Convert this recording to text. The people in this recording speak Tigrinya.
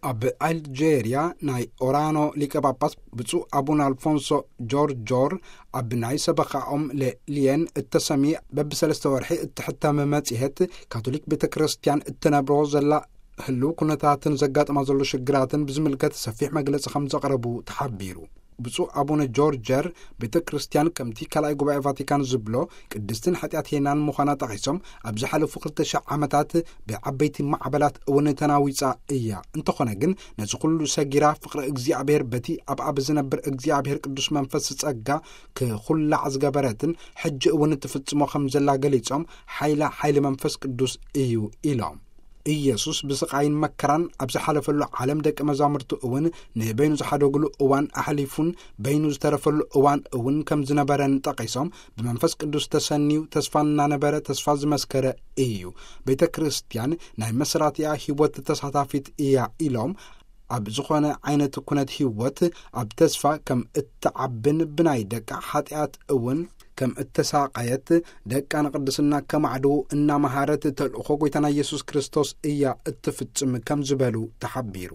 ኣብ ኣልጄርያ ናይ ኦራኖ ሊቀ ጳጳስ ብፁዕ ኣቡነ ኣልፎንሶ ጆርጆር ኣብ ናይ ሰበኻኦም ለሊየን እተሰምየ በብሰለስተ ወርሒ እትሕተም መጽሔት፣ ካቶሊክ ቤተ ክርስቲያን እተነብሮ ዘላ ህልው ኩነታትን ዘጋጥማ ዘሎ ሽግራትን ብዝምልከት ሰፊሕ መግለጺ ከም ዘቕረቡ ተሓቢሩ። ብፁዕ ኣቡነ ጆርጀር፣ ቤተ ክርስቲያን ከምቲ ካልኣይ ጉባኤ ቫቲካን ዝብሎ ቅድስትን ሓጢኣት ሄናን ምዃና ጠቒሶም፣ ኣብ ዝሓለፉ ክልተ ሽሕ ዓመታት ብዓበይቲ ማዕበላት እውን ተናዊጻ እያ። እንተኾነ ግን ነዚ ኩሉ ሰጊራ ፍቕሪ እግዚኣብሔር በቲ ኣብኣ ብዝነብር እግዚኣብሔር ቅዱስ መንፈስ ጸጋ ክኹላዕ ዝገበረትን ሕጂ እውን እትፍጽሞ ከም ዘላ ገሊጾም፣ ሓይላ ሓይሊ መንፈስ ቅዱስ እዩ ኢሎም። ኢየሱስ ብስቓይን መከራን ኣብ ዝሓለፈሉ ዓለም ደቂ መዛሙርቱ እውን ንበይኑ ዝሓደጉሉ እዋን ኣሕሊፉን በይኑ ዝተረፈሉ እዋን እውን ከም ዝነበረን ጠቒሶም፣ ብመንፈስ ቅዱስ ተሰንዩ ተስፋ እናነበረ ተስፋ ዝመስከረ እዩ። ቤተ ክርስቲያን ናይ መስራቲያ ህይወት ተሳታፊት እያ ኢሎም፣ ኣብ ዝኾነ ዓይነት ኩነት ህይወት ኣብ ተስፋ ከም እትዓብን ብናይ ደቃ ሓጢኣት እውን ከም እተሳቐየት፣ ደቃ ንቅድስና ከማዕድዉ እናመሃረት ተልእኾ ጎይታና ኢየሱስ ክርስቶስ እያ እትፍጽም ከም ዝበሉ ተሓቢሩ።